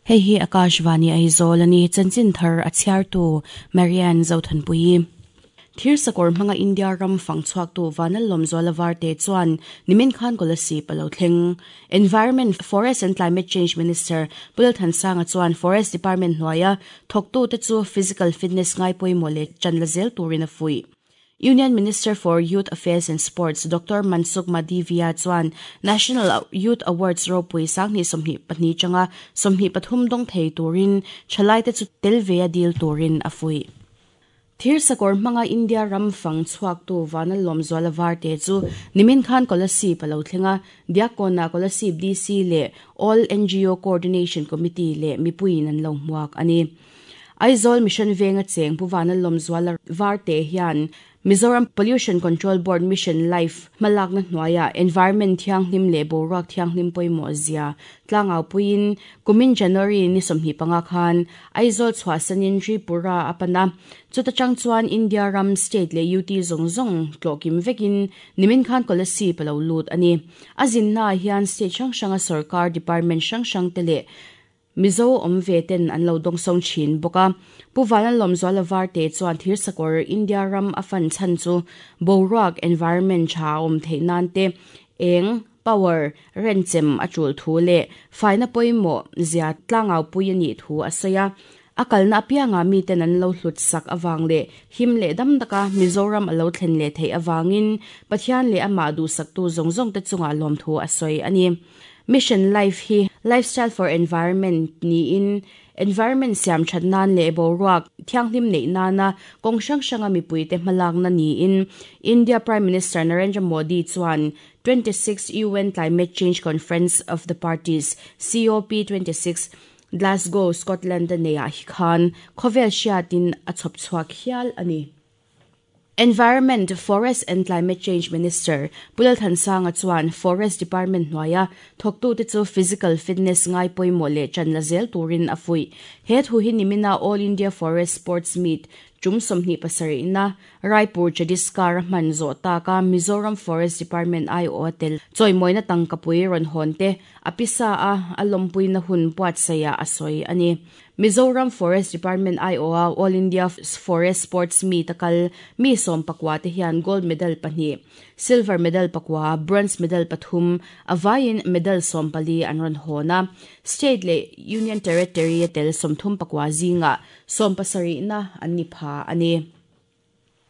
Hei hi Akashvani Aizawl a ni, chanchin thar a chhiartu Marianne Zothanpuii. Thirsakawr hmanga India ram fang chhuaktu Vanlalawmzuala Varte chuan nimin khan Kolasib a lo thleng. Environment, Forest and Climate Change Minister Pu Lalthansanga chuan Forest Department hnuaia thawktute chu physical fitness ngai pawimawh leh ṭan la zel turin a fuih. Union Minister for Youth Affairs and Sports Doctor Mansukh Mandaviya chuan National Youth Awards ropui 2022 tanga 23 dawng thei turin thalaite chu tel ve a dil turin a fuih. Thirsakawr hmanga India ram fang chhuaktu Vanlalawmzuala Varte chu nimin khan Kolasib a lo thleng a, Diakkawnah Kolasib DC leh All NGO Coordination Committee leh mipuiin an lo hmuak a ni. Aizawl Mission Venga cheng Pu Vanlalawmzuala Varte hian Mizoram Pollution Control Board Mission Life hmalakna hnuaiah environment thianghlim leh boruak thianghlim pawimawh zia tlangau puiin kumin January ni 25 khan Aizawl chhuahsanin Tripura a pan a. Chuta chang chuan India ram state leh UT zawng zawng tlawhkim vekin nimin khan Kolasib a lo lut a ni. A zinnaah hian state hrang hranga sorkar department hrang hrang te leh Mizo awm ve ten an lo dawngsawng thin bawk a. Pu Vanlalawmzuala Varte chuan thirsakawr India ram a fan chhan chu boruak, environment, tha a awm theih nan te, eng, power, renchem a tul thu leh faina pawimawh zia tlangaupui a nih thu a sawi a. A kalna apiangah miten an lo hlut sak avang leh him leh dam taka Mizoram a lo thlen leh theih avangin Pathian leh amah duhsaktu zawng zawngte chungah lawmthu a sawi a ni. Mission Life hi Lifestyle for Environment niin environment siam that nan leh boruak thianghlim neih nana kawng hrang hranga mipuite hmalakna niin India Prime Minister Narendra Modi chuan 26 UN Climate Change Conference of the Parties, COP 26, Glasgow, Scotland a neiah hi khan khawvel hriatin a chhawp chhuak hial a ni. Environment, Forest and Climate Change Minister Pu Lalthansanga chuan Forest Department hnuaia thawktute chu physical fitness ngai pawimawh leh ṭan la zel turin a fuih. He thu hi nimina All India Forest Sports Meet ṭum 27na Raipur Chhattisgarh a hman zawh taka Mizoram Forest Department aiawha tel chawimawina tangkapui rawn hawn te a pisa a a lawmpuina hun buatsaihah a sawi a ni. Mizoram Forest Department aiawha All India Forest Sports Meet a kal mi 14 te hian gold medal pahnih, silver medal pakua, bronze medal pathum, a vaiin medal 14 an rawn hawn a. State leh Union Territory a tel 34 zingah 70na an ni pha a ni.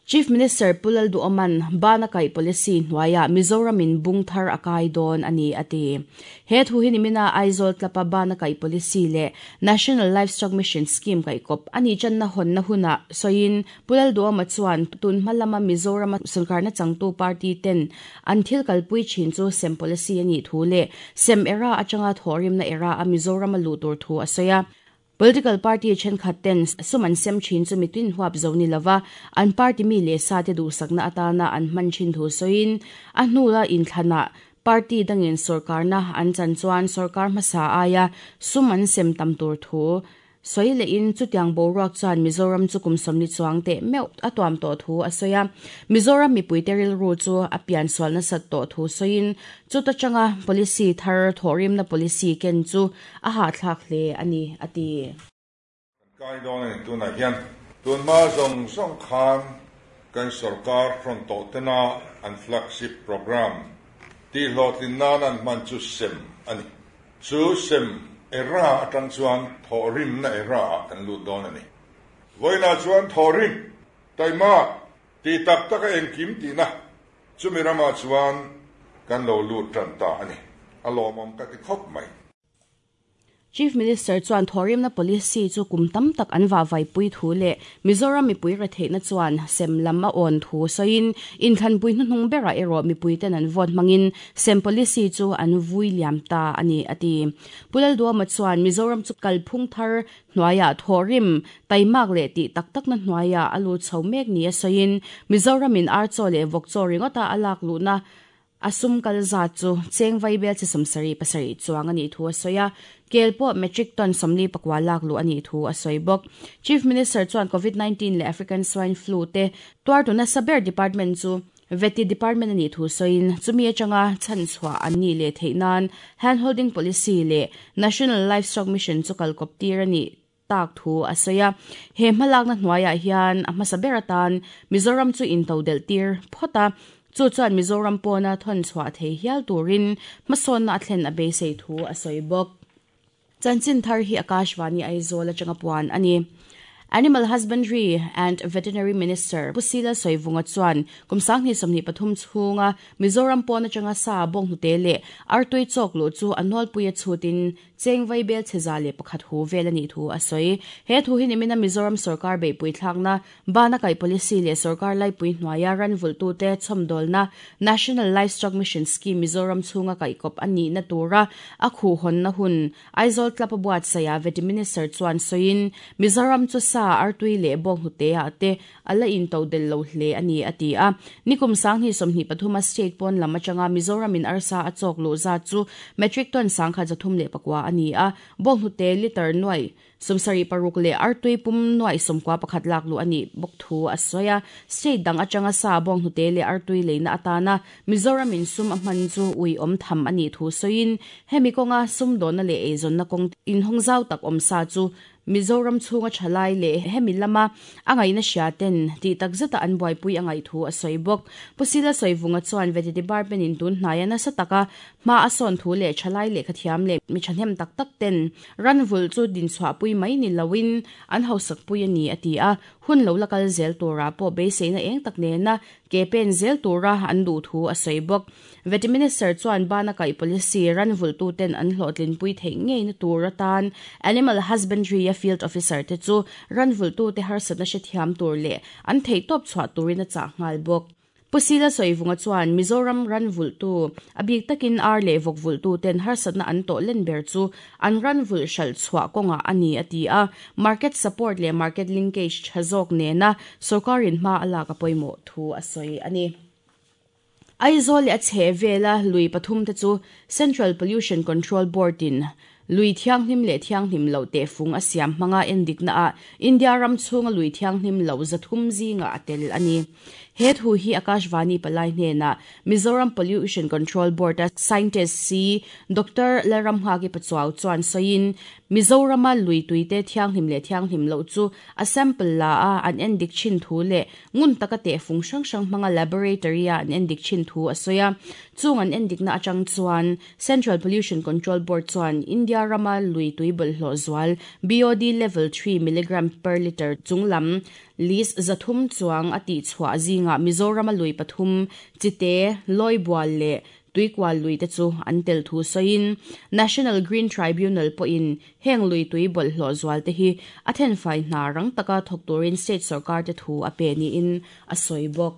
Chief Minister Pu Lalduhoma'n bana kaih policy hnuaiah Mizoramin bung thar a kai dawn a ni a ti. He thu hi nimina Aizawl Club-a bana kaih policy leh National Livestock Mission Scheme kaihkawp a nih tanna hawnna hunah sawiin Pu Lalduhoma chuan tun hma lama Mizorama sorkarna changtu party ten an thil kalpui thin chu sem policy a nih thu leh sem era atanga thawhrimna era a Mizorama luh tur thu a sawi a. Political party thenkhat ten sum an sem thin chu mitin huap zo ni lova, an party mi leh sa te duhsakna atana an hman thin thu sawiin, a hnula inthlanah party dangin sorkarna an chan chuan sorkar hmasa aia sum an sem tam tur thu sawi lehin chutiang boruak chuan Mizoram chu kum 40 chuang teh meuh a tuam tawh thu a sawi a. Mizoram mipuite rilru chu a pian sual nasat tawh thu sawiin chuta tanga policy thar thawhrimna policy ken chu a hahthlak hle a ni a ti. Kan kai dawn a ni tunah hian tunhma zawng zawng khan kan sorkar hrawn tawh tena an flagship program tihhlawhtlin nan an hman chu sem a ni. Chu sem era atang chuan thawhrimna era ah kan lut dawn a ni. Vawiinah chuan thawhrim, taima, ti tak taka engkim tihna chumi ramah chuan kan lo lut tan ta a ni. A lawmawm ka ti khawp mai. Chief Minister chuan thawhrimna policy chu kum tam tak an vahvaipui thu leh Mizoram mipui retheihna chuan sem lam a awn thu sawiin inthlanpui hnuhnung berah erawh mipuiten an vote hmangin sem policy chu an vui liam ta a ni a ti. Pu Lalduama chuan Mizoram chu kalphung thar hnuaiah thawhrim taimak leh tih tak takna hnuaiah a lut chho mek ni a sawiin Mizoramin ar chaw leh vawk chaw ringawta a lak luhna a sum kal zat chu cheng vai bel chi 77 chuang a nih thu a sawi a, kel pawh metric ton 44 lak luh a nih thu a sawi bawk. Chief Minister chuan Covid-19 leh African Swine Flu te tuartu nasa ber department chu. Vety Department a nih thu sawiin, chumi atanga chhanchhuah an nih leh theih nan Handholding Policy leh National Livestock Mission chu kalkawp tir a nih tak thu a sawi a. He hmalakna hnuaiah hian a hmasa ber atan Mizoram chu intodelh tir phawt a, chu chuan Mizoram pawna thawnchhuah thei hial turin hmasawnna a thlen a beisei thu a sawi bawk. Chanchin thar hi Akashvani Aizawl atanga puan a ni. Animal Husbandry and Veterinary Minister Pu Sila Sawivunga chuan kum 2023 chhunga Mizoram pawn atanga sa bawnghnute leh artui chawk luh chu a nawlpui a chhutin cheng vaibel chhe 101 hu vel a nih thu a sawi. He thu hi nimina Mizoram sorkar beihpui thlakna Bana kaih policy leh sorkar laipui hnuaia ran vulhtute chhawmdawlna National Livestock Mission Scheme Mizoram chhunga kaihkawp a nihna tura a khuhhawnna hun Aizawl Club a buatsaihah Vety Minister chuan sawiin, Mizoram chu sa, artui leh bawnghnute-ah te a la intodelh lo hle a ni, a ti a. Nikum 2023 a state pawn lam atanga Mizoramin arsa a chawk luh zat chu metric ton 1309 a ni a, bawnghnute litre nuaih 76 leh artui pum nuaih 91 lak luh a nih bawk thu a sawi a. State dang atanga sa bawnghnute leh artui leina atana Mizoram in sum a hman chu uiawm tham a nih thu sawiin, hemi kawnga sumdawnna leh eizawnna kawng inhawng zau tak awm sa chu Mizoram chhunga thalai leh hemi lama a ngaihna hria ten tih tak zeta an buaipui a ngaih thu a sawi bawk. Pu Sila Sawivunga chuan Vety Department in tun hnaia nasa taka hma a sawn thu leh thalai lehkhathiam leh mi thahnem tak tak ten Ran vulh chu dinchhuahpui mai ni loin an hausakpui a ni, a ti a. Hun lo la kal zel turah pawh beiseina eng tak nena ke pen zel tura an duh thu a sawi bawk. Vety Minister chuan bana kaih policy ran vulhtuten an hlawhtlinpui theih ngeina tur atan Animal Husbandry-a Field Officer te chu ran vulhtute harsatna hrethiam tur leh an theihtawp chhuah turin a chah nghal bawk. Pu Sila Sawivunga chuan Mizoram ran vulhtu, a bik takin ar leh vawk vulhtu ten harsatna an tawh len ber chu an ran vulh hralh chhuah kawngah a ni a ti a, market support leh market linkage tha zawk nena sorkarin hma a lak a pawimawh thu a sawi a ni. Aizawl leh a chhehvela lui pathum te chu Central Pollution Control Board in Lui thianghlim leh thianghlim loh tehfung a siam hmanga endikna ah India ram chhunga lui thianghlim loh 300 zingah a tel a ni. He thu hi Akashvani palai hnenah Mizoram Pollution Control Board a Scientist si Doctor Lalramnghaki Pachuau chuan sawiin, Mizorama lui tuite thianghlim leh thianghlim loh chu a sample la a an endik thin thu leh ngun taka tehfung hrang hrang hmanga laboratory a an endik thin thu a sawi a. Chung an endikna atang chuan Central Pollution Control Board chuan India rama lui tui bawlhhlawh zual BOD level 3 milligram per litre chunglam list 300 chuang a tihchhuah zingah Mizorama lui pathum, Chite, Lawibual leh Tuikual lui te chu an tel thu sawiin National Green Tribunal pawhin heng lui tui bawlhhlawh zual te hi a thenfai hna rang taka thawk turin state sorkar te thu a pe niin a sawi bawk.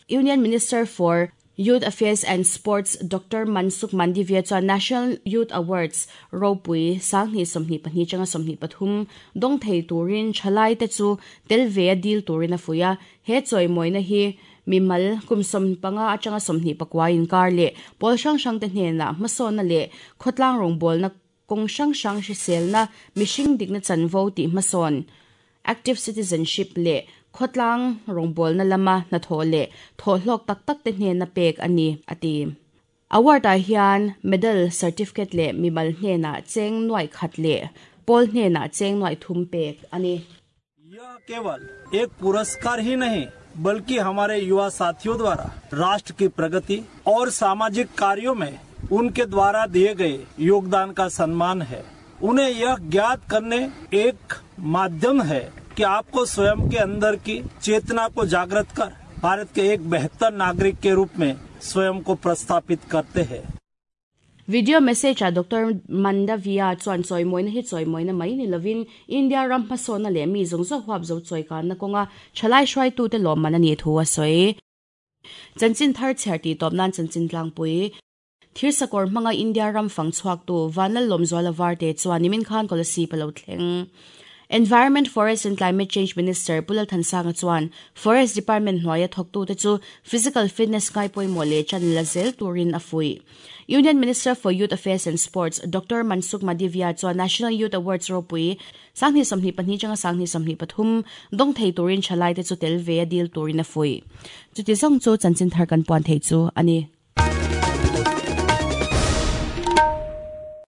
Union Minister for Youth Affairs and Sports Doctor Mansukh Mandaviya chuan National Youth Awards ropui 2022 atanga 23 dawng thei turin thalai te chu tel ve a dil turin a fuih a. He chawimawina hi mimal kum 15 atanga 29 inkar leh pawl hrang hrang te hnenah hmasawnna leh khawtlang rawngbawlna kawng hrang hrang hriselna, mihring dikna chanvo tih hmasawn, active citizenship, leh khawtlang rawngbawlna lama hnathawh leh thawhhlawk tak tak te hnena pek a ni, a ti. Award-ah hian medal, certificate leh mimal hnenah cheng nuaih khat leh pawl hnenah cheng nuaih thum pek a ni. यह केवल एक पुरस्कार ही नहीं बल्कि हमारे युवा साथियों द्वारा राष्ट्र की प्रगति और सामाजिक कार्यों में उनके द्वारा दिए गए योगदान का सम्मान है। उन्हें यह ज्ञात करने एक माध्यम है कि आपको स्वयं के अंदर की चेतना को जागृत कर भारत के एक बेहतर नागरिक के रूप में स्वयं को प्रस्थापित करते हैं। Video message ah Doctor Mandaviya chuan chawimawina hi chawimawina mai ni lovin India ram hmasawnna leh mi zawng zawng huap zo chawikanna kawnga thalai hruaitute lawmman a nih thu a sawi. Chanchin thar chhiar tih tawp nan chanchin tlangpui Thirsakawr hmanga India ram fang chhuaktu Vanlal Lawmzuala Varte chuan nimin khan Kolasib a lo thleng. Environment, Forest and Climate Change Minister Pu Lalthansanga chuan Forest Department hnuaia thawktute chu physical fitness ngai pawimawh leh chan la zel turin a fuih. Union Minister for Youth Affairs and Sports Doctor Mansukh Madivia chuan National Youth Awards ropui 2022 atanga 2023 dawng thei turin thalaite chu tel ve a dil turin a fuih. Chuti zawng chu chanchin thar kan puan thei chu a ni.